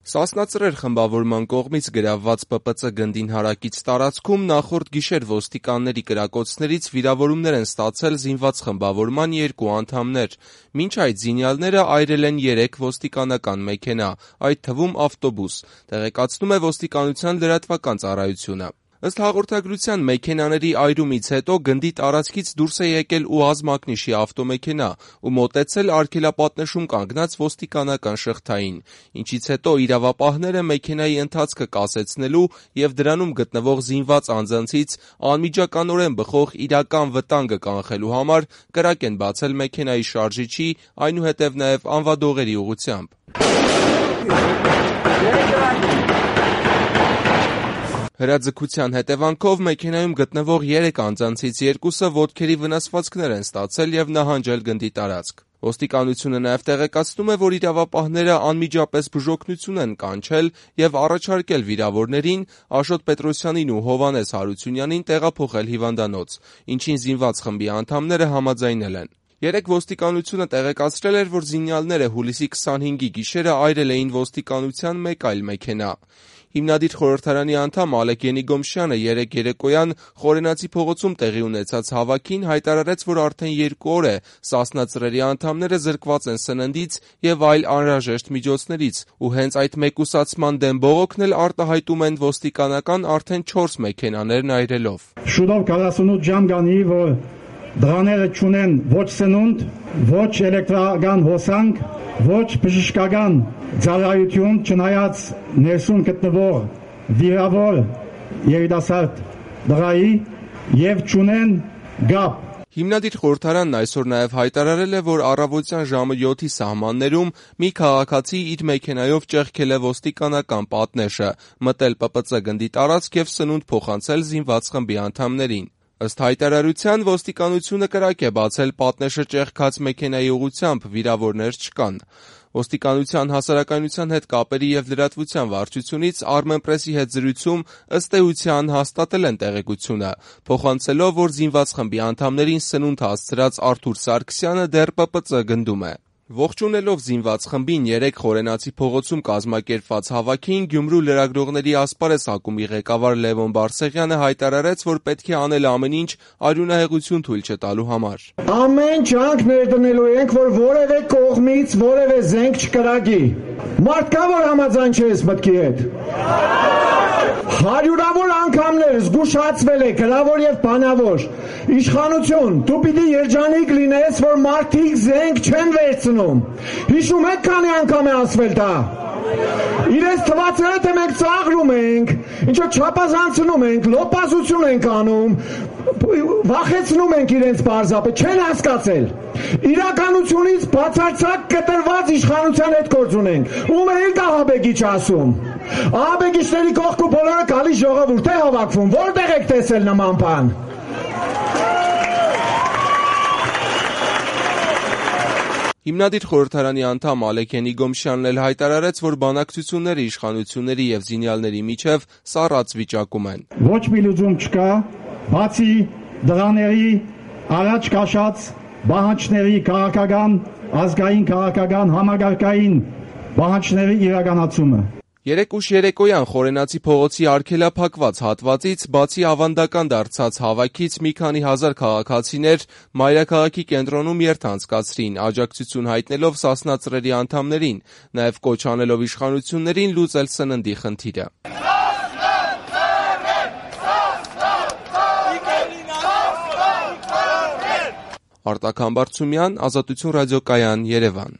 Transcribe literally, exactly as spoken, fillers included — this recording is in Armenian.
Սասնածռեր խմբավորման կողմից գրավված Պ Պ Ծ գնդին հարակից տարածքում նախորդ գիշեր ոստիկանների կրակոցներից վիրավորումներ են ստացել զինված խմբավորման երկու անդամներ։ Մինչ այդ զինյալները այրել են երեք ոստիկանական մեքենա, այդ թվում ավտոբուս, տեղեկացնում է ոստիկանության լրատվական ծառայությունը։ Ըստ հաղորդագրության մեքենաների այրումից հետո գնդի տարածքից դուրս է եկել ՈՒԱԶ մակնիշի ավտոմեքենա ու մոտեցել արգելապատնեշում կանգնած ոստիկանական շղթային, ինչից հետո իրավապահները մեքենայի ընթացքը կասեցնելու և դրանում գտնվող զինված անձանցից անմիջականորեն բխող իրական վտանգը կանխելու համար կրակ են բացել մեքենայի շարժիչի, այնուհետև նաև անվադողերի ուղղությամբ։ Հրաձգության հետևանքով մեքենայում գտնվող երեք անձանցից երկուսը ոտքերի վնասվածքներ են ստացել և նահանջել գնդի տարածք։ Ոստիկանությունը նաև տեղեկացնում է, որ իրավապահները անմիջապես բուժօգնություն են կանչել և առաջարկել վիրավորներին Աշոտ Պետրոսյանին ու Հովհաննես Հարությունյանին տեղափոխել հիվանդանոց, ինչին զինված խմբի անդամները համաձայնել են։ Երեկ ոստիկանությունը տեղեկացրել էր, որ զինյալները հուլիսի քսանհինգի գիշերը այրել էին ոստիկանության մեկ այլ մեքենա։ Հիմնադիր խորհրդարանի անդամ Ալեք Ենիգոմշյանը երեկ երեկոյան Խորենացի փողոցում տեղի ունեցած հավաքին հայտարարեց, որ արդեն երկու օր է սասնածռերի անդամները զրկված են սննդից և այլ անհրաժեշտ միջոցներից, ու հենց այդ մեկուսացման դեմ բողոքն էլ արտահայտում են ոստիկանական արդեն չորս մեքենաներն այրելով։ Շուտով քառասունութ ժամ գանի, որ դրաները չունեն ոչ սնունդ, ոչ էլեկտրական հոսանք, ոչ բժշկական ծառայություն, չնայած ներսում գտնվող վիրավոր երիտասարդ դղայի և չունեն գապ։ Հիմնադիր խորհրդարանն այսօր նաև հայտարարել է, որ առավոտյան ժամը յոթի սահմաններում մի քաղաքացի իր մեքենայով ճեղքել է ոստիկանական պատնեշը, մտել Պ Պ Ծ գնդի տարածք և սնունդ փոխանցել զինված խմբի անդամներին։ Ըստ հայտարարության ոստիկանությունը կրակ է բացել պատնեշը ճեղքած մեքենայի ուղղությամբ, վիրավորներ չկան։ Ոստիկանության հասարակայնության հետ կապերի և լրատվության վարչությունից Armenpress-ի հետ զրույցում ըստ էության հաստատել են տեղեկությունը, փոխանցելով, որ զինված խմբի անդամներին սնունդ հասցրած Արթուր Սարգսյանը դեռ Պ Պ Ծ գնդում է։ Ողջունելով զինված խմբին երեկ Խորենացի փողոցում կազմակերպված հավաքին, Գյումրու լրագրողների ասպարեզ ակումբի ղեկավար Լևոն Բարսեղյանը հայտարարեց, որ պետք է անել ամեն ինչ արյունահեղություն թույլ չտալու համար։ Ամեն ջանք ներդնելու ենք, որ որևէ կողմից որևէ զենք չկրակի։ Մարդ կա, որ համաձայն չէ այս մտքի հետ։ Հարյուրավոր անգամներ զգուշացվել է գրավոր և բանավոր։ Իշխանություն, դու պիտի երջանիկ լինես, որ մարդիկ զենք չեն վերցնում։ Հիշում եք քանի անգամ է ասվել դա։ Իրենց թվացել է, թե մենք ծաղրում ենք, ինչո չափազանցնում ենք, լոպազություն ենք անում, վախեցնում ենք իրենց պարզապես, չեն հասկացել։ Իրականությունից բացարձակ կտրված իշխանության հետ գործ ունենք։ Ում է դա Ահաբեկիչ ասում։ Ահաբեկիչների կողքու բոլորը գալիս ժողովուրդ է հավաքվում, որտեղ եք տեսել նման բան։ Հիմնադիր խորհրդարանի անդամ Ալեք Ենիգոմշյանն էլ հայտարարեց, որ բանակցությունները իշխանությունների և զինյալների միջև սառած վիճակում են։ Ոչ մի լուծում չկա, բացի դրաների առաջ քաշած բանջարների քաղաքական, ազգային քաղաքական համագարկային բանջարների իրականացումը։ Երեկ ուշ երեկոյան Խորենացի փողոցի արգելափակված հատվածից, բացի ավանդական դարձած հավաքից, մի քանի հազար քաղաքացիներ մայրաքաղաքի կենտրոնում երթ անցկացրին, աջակցություն հայտնելով սասնածռերի անդամներին, նաև կոչ անելով իշխանություններին լուծել սննդի խնդիրը։ Արտակ Համբարձումյան, Ազատություն ռադիոկայան, Երևան։